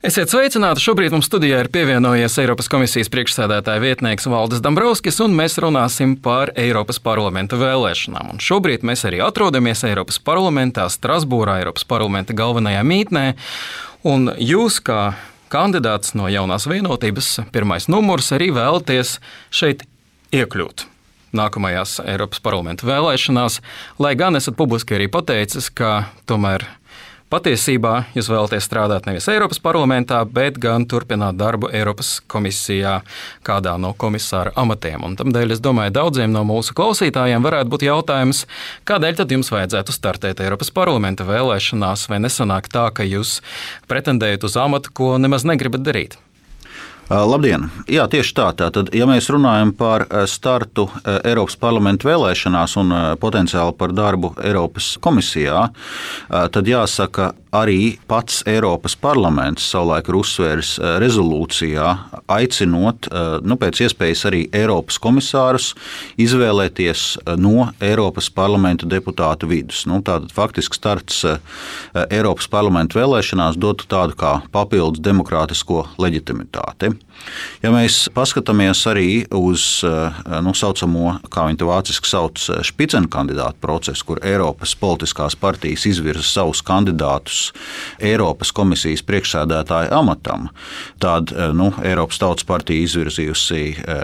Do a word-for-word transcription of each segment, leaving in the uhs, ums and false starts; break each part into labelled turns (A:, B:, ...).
A: Esiet sveicināti! Šobrīd mums studijā ir pievienojies Eiropas komisijas priekšsēdētāja vietnieks Valdis Dombrovskis, un mēs runāsim par Eiropas parlamenta vēlēšanām. Un šobrīd mēs arī atrodamies Eiropas parlamentā, Strasbūrā, Eiropas parlamenta galvenajā mītnē. Un jūs, kā kandidāts no Jaunās vienotības, pirmais numurs, arī vēlaties šeit iekļūt nākamajās Eiropas parlamenta vēlēšanās, lai gan esat publiski arī pateicis, ka tomēr patiesībā jūs vēlaties strādāt nevis Eiropas parlamentā, bet gan turpināt darbu Eiropas komisijā kādā no komisāra amatiem. Un tamdēļ es domāju, daudziem no mūsu klausītājiem varētu būt jautājums, kādēļ tad jums vajadzētu startēt Eiropas parlamenta vēlēšanās, vai nesanāk tā, ka jūs pretendējat uz amatu, ko nemaz negribat darīt?
B: Labdien! Jā, tieši tā. Tātad, ja mēs runājam par startu Eiropas parlamenta vēlēšanās un potenciāli par darbu Eiropas komisijā, tad jāsaka, arī pats Eiropas parlaments savulaik ir uzsvēris rezolūcijā, aicinot nu, pēc iespējas arī Eiropas komisārus izvēlēties no Eiropas parlamenta deputātu vidus. Nu, tātad faktiski starts Eiropas parlamenta vēlēšanās dotu tādu kā papildus demokrātisko leģitimitāti. Ja mēs paskatāmies arī uz nu, saucamo, kā viņi to vāciski sauc, špicenkandidātu procesu, kur Eiropas politiskās partijas izvirza savus kandidātus Eiropas komisijas priekšsēdētāja amatam, tad nu, Eiropas Tautas partija izvirzījusi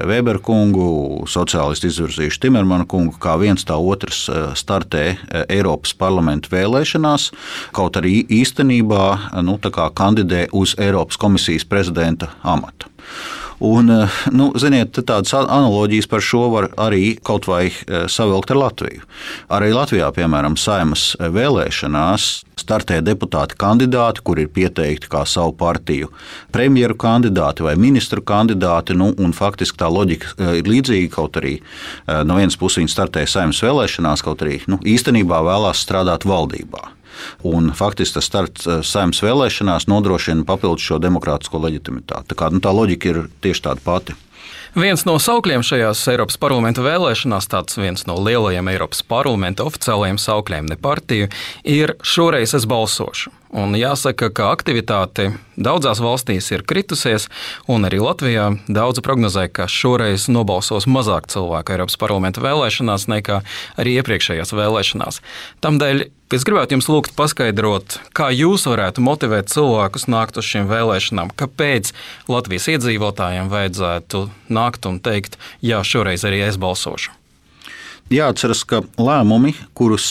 B: Weber kungu, sociālisti izvirzījuši Timermanu kungu, kā viens tā otrs startē Eiropas parlamenta vēlēšanās, kaut arī īstenībā nu, tā kā kandidē uz Eiropas komisijas prezidenta amatu. Un, nu, ziniet, tādas analoģijas par šo var arī kaut vai savilkt ar Latviju. Arī Latvijā, piemēram, Saeimas vēlēšanās startē deputāti kandidāti, kur ir pieteikti kā savu partiju premjeru kandidāti vai ministru kandidāti, nu, un faktiski tā loģika ir līdzīga, kaut arī no vienas puses viņi startē Saeimas vēlēšanās, kaut arī nu, īstenībā vēlās strādāt valdībā. Un faktiski tas starts Saeimas vēlēšanās nodrošina papildus šo demokrātisko leģitimitāti. Tā, kā, nu, tā loģika ir tieši tāda pati.
A: Viens no saukļiem šajās Eiropas parlamenta vēlēšanās, tāds viens no lielajiem Eiropas parlamenta oficiālajiem saukļiem, ne partiju, ir šoreiz es balsošu. Un jāsaka, ka aktivitāte daudzās valstīs ir kritusies, un arī Latvijā daudzi prognozē, ka šoreiz nobalsos mazāk cilvēku Eiropas parlamenta vēlēšanās nekā arī iepriekšējās vēlēšanās. Tamdēļ es gribētu jums lūgt paskaidrot, kā jūs varētu motivēt cilvēkus nākt uz šīm vēlēšanām, kāpēc Latvijas iedzīvotājiem vajadzētu nākt un teikt, jā, šoreiz arī es balsošu.
B: Jāatceras, ka lēmumi, kurus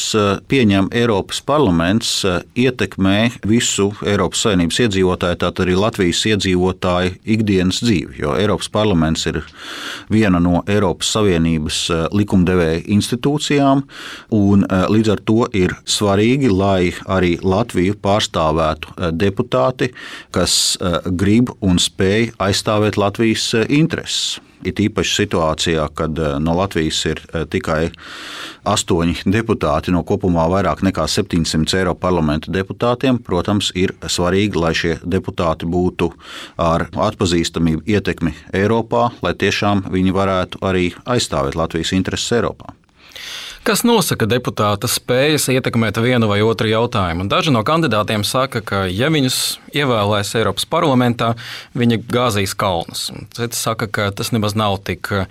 B: pieņem Eiropas parlaments, ietekmē visu Eiropas Savienības iedzīvotāju, tātad arī Latvijas iedzīvotāju ikdienas dzīvi, jo Eiropas parlaments ir viena no Eiropas Savienības likumdevēja institūcijām, un līdz ar to ir svarīgi, lai arī Latviju pārstāvētu deputāti, kas grib un spēj aizstāvēt Latvijas intereses. It īpaši situācijā, kad no Latvijas ir tikai astoņi deputāti no kopumā vairāk nekā septiņsimt Eiropas parlamenta deputātiem, protams, ir svarīgi, lai šie deputāti būtu ar atpazīstamību ietekmi Eiropā, lai tiešām viņi varētu arī aizstāvēt Latvijas intereses Eiropā.
A: Kas nosaka deputāta spējas ietekmēt vienu vai otru jautājumu? Daži no kandidātiem saka, ka ja viņus ievēlēs Eiropas parlamentā, viņi gāzīs kalnus. Citi saka, ka tas nemaz nav tik uh,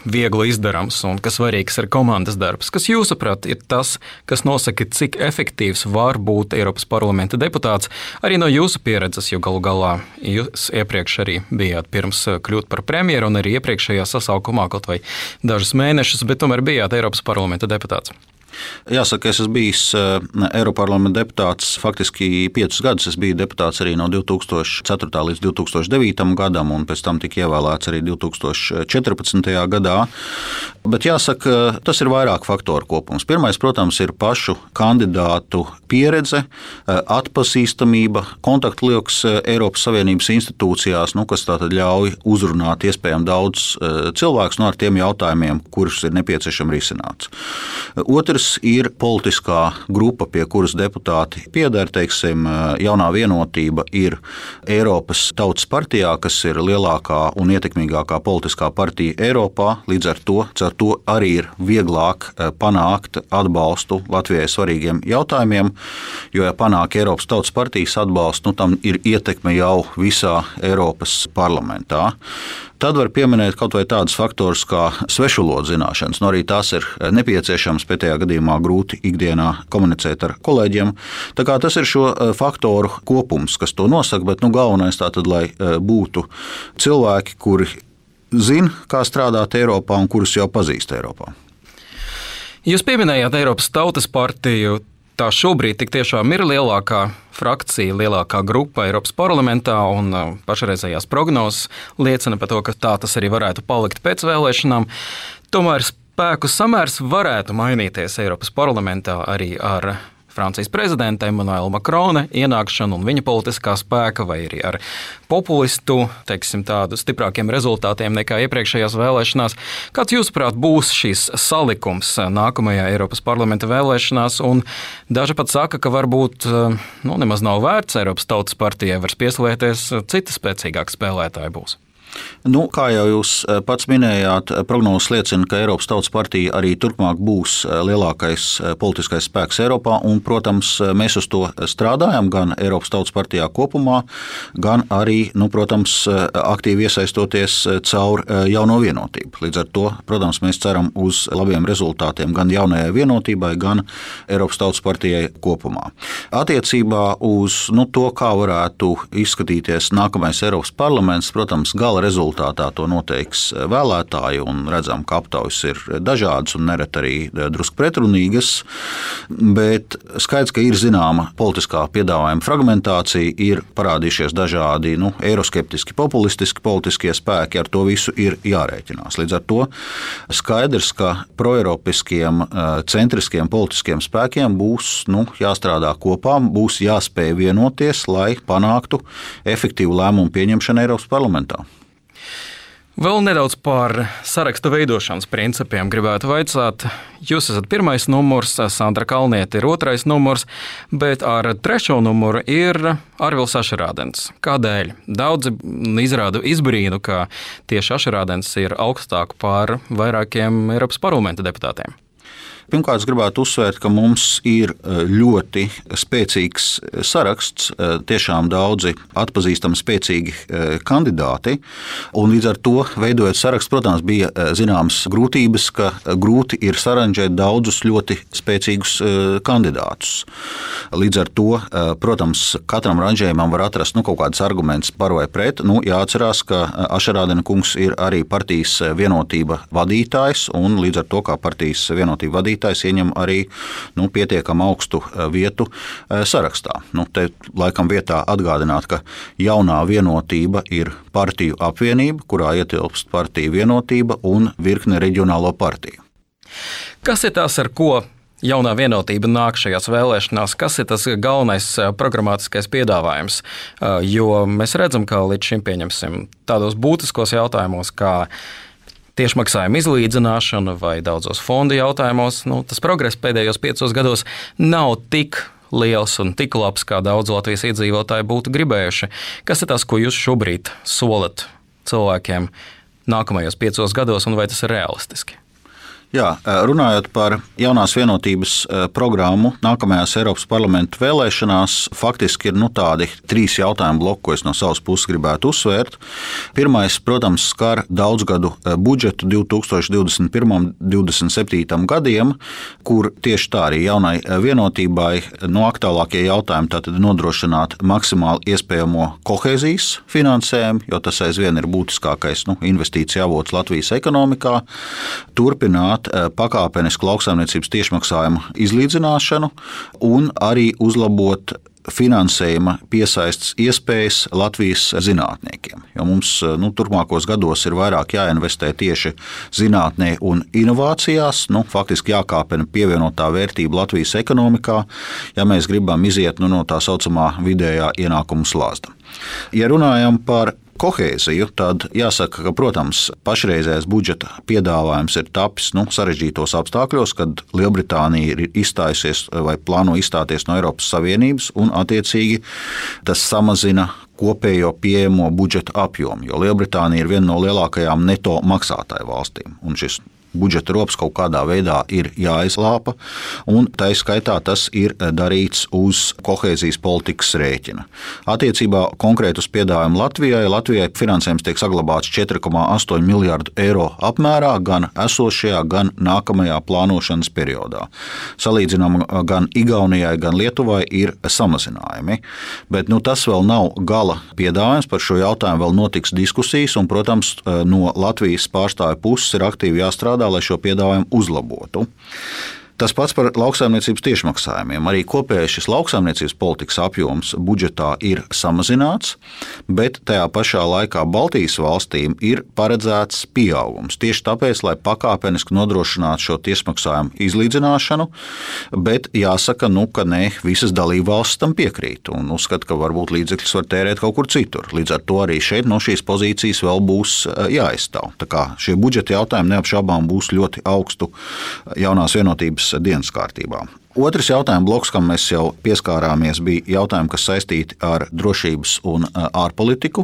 A: viegli izdarams un ka svarīgs ir komandas darbs. Kas jūsuprāt ir tas, kas nosaka, cik efektīvs var būt Eiropas parlamenta deputāts, arī no jūsu pieredzes, jo galu galā jūs iepriekš arī bijāt pirms kļūt par premjeru un arī iepriekšējā sasaukumā kaut vai dažus mēnešus, bet tomēr bijāt Eiropas parlamenta deputāts.
B: Jāsaka, es esmu bijis Eiroparlamenta deputāts faktiski piecus gadus. Es biju deputāts arī no divi tūkstoši ceturtā līdz divi tūkstoši devītam gadam, un pēc tam tika ievēlēts arī divi tūkstoši četrpadsmitajā gadā. Bet jāsaka, tas ir vairāk faktoru kopums. Pirmais, protams, ir pašu kandidātu pieredze, atpazīstamība, kontaktlieks Eiropas Savienības institūcijās, nu, kas tātad ļauj uzrunāt iespējami daudz cilvēkus no ar tiem jautājumiem, kurus ir nepieciešams risināt. Otrs puses ir politiskā grupa, pie kuras deputāti pieder, teiksim, Jaunā vienotība ir Eiropas Tautas partijā, kas ir lielākā un ietekmīgākā politiskā partija Eiropā. Līdz ar to, ar to arī ir vieglāk panākt atbalstu Latvijai svarīgiem jautājumiem, jo, ja panāk Eiropas Tautas partijas atbalstu, nu, tam ir ietekme jau visā Eiropas parlamentā. Tad var pieminēt kaut vai tādus faktorus kā svešvalodu zināšanas. Nu, arī tās ir nepieciešamas, pretējā gadījumā grūti ikdienā komunicēt ar kolēģiem. Tā kā tas ir šo faktoru kopums, kas to nosaka, bet nu, galvenais tātad, lai būtu cilvēki, kuri zina, kā strādāt Eiropā un kurus jau pazīst Eiropā.
A: Jūs pieminējāt Eiropas Tautas partiju. Tā šobrīd tik tiešām ir lielākā frakcija, lielākā grupa Eiropas parlamentā, un pašreizējās prognozes liecina par to, ka tā tas arī varētu palikt pēc vēlēšanām. Tomēr spēku samērs varētu mainīties Eiropas parlamentā arī ar Francijas prezidenta Emmanuela Macrona ienākšanu un viņa politiskā spēka, vai arī ar populistu, teiksim, tādu stiprākiem rezultātiem nekā iepriekšējās vēlēšanās. Kāds, jūsuprāt, būs šīs salikums nākamajā Eiropas parlamenta vēlēšanās? Un daži pat saka, ka varbūt nu, nemaz nav vērts Eiropas Tautas partijai vairs pieslēgties, citi spēcīgāki spēlētāji būs.
B: Nu, kā jau jūs pats minējāt, prognozes liecina, ka Eiropas Tautas partija arī turpmāk būs lielākais politiskais spēks Eiropā, un, protams, mēs uz to strādājam gan Eiropas Tautas partijā kopumā, gan arī, nu, protams, aktīvi iesaistoties caur Jauno vienotību. Līdz ar to, protams, mēs ceram uz labiem rezultātiem gan Jaunajai vienotībai, gan Eiropas Tautas partijai kopumā. Attiecībā uz nu, to, kā varētu izskatīties nākamais Eiropas parlaments, protams, gala rezultātā to noteiks vēlētāji, un redzam, ka aptaujas ir dažādas un nereti arī drusku pretrunīgas, bet skaidrs, ka ir zināma politiskā piedāvājuma fragmentācija, ir parādījušies dažādi nu, eiroskeptiski, populistiski politiskie spēki, ar to visu ir jārēķinās. Līdz ar to skaidrs, ka proeiropiskiem, centriskiem politiskiem spēkiem būs nu, jāstrādā kopā, būs jāspēj vienoties, lai panāktu efektīvu lēmumu pieņemšanu Eiropas parlamentā.
A: Vēl nedaudz par sarakstu veidošanas principiem gribētu vaicāt. Jūs esat pirmais numurs, Sandra Kalniete ir otrais numurs, bet ar trešo numuru ir Arvils Ašerādens. Kādēļ? Daudzi izrāda izbrīnu, ka tieši Ašerādens ir augstāk par vairākiem Eiropas parlamenta deputātiem.
B: Pirmkārt, es gribētu uzsvērt, ka mums ir ļoti spēcīgs saraksts, tiešām daudzi atpazīstami spēcīgi kandidāti, un līdz ar to veidojot sarakstu, protams, bija zināmas grūtības, ka grūti ir saranžēt daudzus ļoti spēcīgus kandidātus. Līdz ar to, protams, katram ranžējumam var atrast nu, kaut kādus argumentus par vai pret. Nu, jāatcerās, ka Ašerādena kungs ir arī partijas vienotība vadītājs, un līdz ar to, kā partijas vienotība vadītājs, ieņem arī nu, pietiekami augstu vietu sarakstā. Nu, te laikam vietā atgādināt, ka Jaunā vienotība ir partiju apvienība, kurā ietilpst partiju vienotība un virkne reģionālo partiju.
A: Kas ir tās, ar ko Jaunā vienotība nāk šajās vēlēšanās? Kas ir tas galvenais programmatiskais piedāvājums? Jo mēs redzam, ka līdz šim pieņemsim tādos būtiskos jautājumos, kā tiešmaksājuma izlīdzināšana vai daudzos fondu jautājumos, nu, tas progress pēdējos piecos gados nav tik liels un tik labs, kā daudz Latvijas iedzīvotāji būtu gribējuši. Kas ir tas, ko jūs šobrīd solat cilvēkiem nākamajos piecos gados, un vai tas ir realistiski?
B: Jā, runājot par Jaunās vienotības programmu nākamajās Eiropas parlamenta vēlēšanās, faktiski ir nu, tādi trīs jautājumu bloki, ko es no savas puses gribētu uzsvērt. Pirmais, protams, skar daudzgadu budžetu divtūkstoš divdesmit pirmais un divdesmit septītais gadiem, kur tieši tā arī Jaunai vienotībai no aktuālākie jautājumi tātad nodrošināt maksimāli iespējamo kohēzijas finansējumu, jo tas aizvien ir būtiskākais nu, investīcija avots Latvijas ekonomikā, turpināt pakāpenisku lauksaimniecības tiešmaksājumu izlīdzināšanu un arī uzlabot finansējuma piesaistes iespējas Latvijas zinātniekiem. Jo mums nu, turpmākos gados ir vairāk jāinvestē tieši zinātnē un inovācijās, nu, faktiski jākāpina pievienotā vērtība Latvijas ekonomikā, ja mēs gribam iziet nu, no tā saucamā vidējā ienākumu slāzda. Ja runājam par kohēziju, tad jāsaka, ka, protams, pašreizējais budžeta piedāvājums ir tapis nu, sarežģītos apstākļos, kad Lielbritānija ir izstājusies vai plāno izstāties no Eiropas Savienības, un attiecīgi tas samazina kopējo pieejamo budžeta apjomu, jo Lielbritānija ir viena no lielākajām neto maksātāju valstīm, un šis budžeta rops kaut kādā veidā ir jāizlāpa, un tā skaitā tas ir darīts uz kohēzijas politikas rēķina. Attiecībā konkrēt uz piedāvājumu Latvijai, Latvijai finansējums tiek saglabāts četri komats astoņi miljardu eiro apmērā gan esošajā, gan nākamajā plānošanas periodā. Salīdzinām, gan Igaunijai, gan Lietuvai ir samazinājumi, bet nu, tas vēl nav gala piedāvājums, par šo jautājumu vēl notiks diskusijas, un, protams, no Latvijas pārstāvju puses ir aktīvi jāstrādā, lai šo piedāvājumu uzlabotu. Tas pats par lauksaimniecības tiešmaksājumiem. Arī kopējais šis lauksaimniecības politikas apjoms budžetā ir samazināts, bet tajā pašā laikā Baltijas valstīm ir paredzēts pieaugums. Tieši tāpēc, lai pakāpeniski nodrošinātu šo tiešmaksājumu izlīdzināšanu, bet jāsaka, nu, ka ne visas dalībvalstis tam piekrīt un uzskata, ka varbūt līdzekļus var tērēt kaut kur citur. Līdz ar to arī šeit no šīs pozīcijas vēl būs jāaizstāv. Tā kā šie budžeta jautājumi neapšaubām būs ļoti augstu jaunās vienotības dienas kārtībā. Otrs jautājuma bloks, kam mēs jau pieskārāmies, bija jautājumi, kas saistīti ar drošības un ārpolitiku,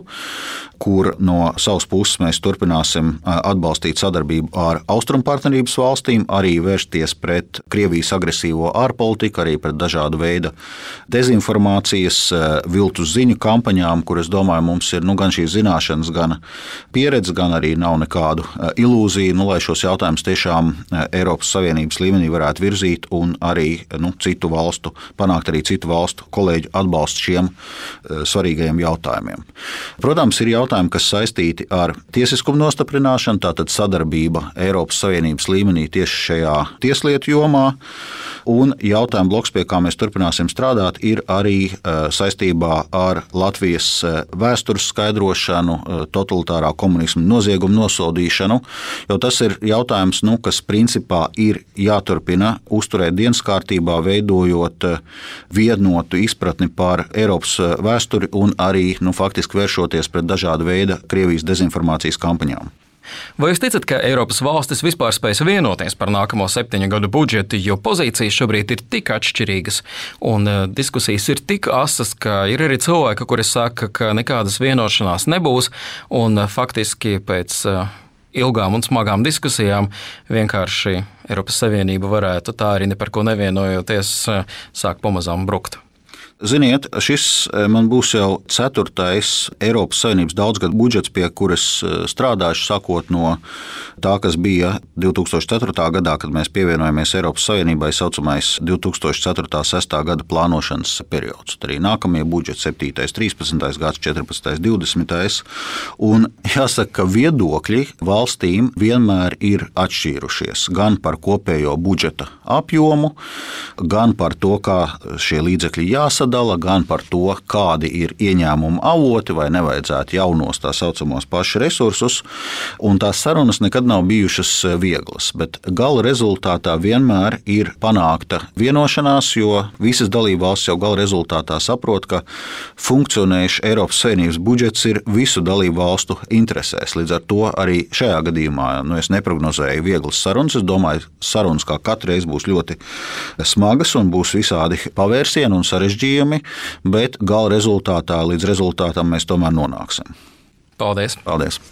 B: kur no savas puses mēs turpināsim atbalstīt sadarbību ar Austrumu partnerības valstīm, arī vērsties pret Krievijas agresīvo ārpolitiku, arī pret dažādu veidu dezinformācijas, viltus ziņu kampaņām, kur, es domāju, mums ir nu, gan šīs zināšanas, gan pieredze, gan arī nav nekādu ilūziju, nu, lai šos jautājumus tiešām Eiropas Savienības līmenī varētu virzīt un arī Nu, citu valstu, panākt arī citu valstu kolēģu atbalstu šiem svarīgajiem jautājumiem. Protams, ir jautājumi, kas saistīti ar tiesiskumu nostiprināšanu, tātad sadarbība Eiropas Savienības līmenī tieši šajā tieslietu jomā, un jautājuma bloks, pie kā mēs turpināsim strādāt, ir arī saistībā ar Latvijas vēstures skaidrošanu, totalitārā komunisma noziegumu nosodīšanu, jo tas ir jautājums, nu, kas principā ir jāturpina uzturēt dienas kārtībā, veidojot vienotu izpratni par Eiropas vēsturi un arī nu, faktiski vēršoties pret dažādu veidu Krievijas dezinformācijas kampaņām.
A: Vai jūs ticat, ka Eiropas valstis vispār spēs vienoties par nākamo septiņu gadu budžetu, jo pozīcijas šobrīd ir tik atšķirīgas un diskusijas ir tik asas, ka ir arī cilvēki, kuri saka, ka nekādas vienošanās nebūs un faktiski pēc ilgām un smagām diskusijām vienkārši Eiropas Savienība varētu tā arī ne par ko nevienojoties sāk pamazām brukt?
B: Ziniet, šis man būs jau ceturtais Eiropas Savienības daudzgadu budžets, pie kuras strādāšu, sākot no tā, kas bija divi tūkstoši ceturtā gadā, kad mēs pievienojamies Eiropas Savienībai, saucamais divi tūkstoši ceturtā sestā gada plānošanas periods. Arī nākamie budžeti septītais, trīspadsmitais gads, četrpadsmitais, divdesmitais Un jāsaka, ka viedokļi valstīm vienmēr ir atšķīrušies gan par kopējo budžeta apjomu, gan par to, kā šie līdzekļi jāsadala, gan par to, kādi ir ieņēmumu avoti vai nevajadzētu jaunos tā saucamos pašu resursus, un tās sarunas nekad nav bijušas vieglas, bet gala rezultātā vienmēr ir panākta vienošanās, jo visas dalībvalstis jau gala rezultātā saprot, ka funkcionējuši Eiropas Savienības budžets ir visu dalībvalstu interesēs. Līdz ar to arī šajā gadījumā nu, es neprognozēju vieglas sarunas, es domāju, sarunas kā katru reizi būs ļoti smagas un būs visādi pavērsieni un sarežģījumi, bet gala rezultātā līdz rezultātam mēs tomēr nonāksim.
A: Paldies!
B: Paldies!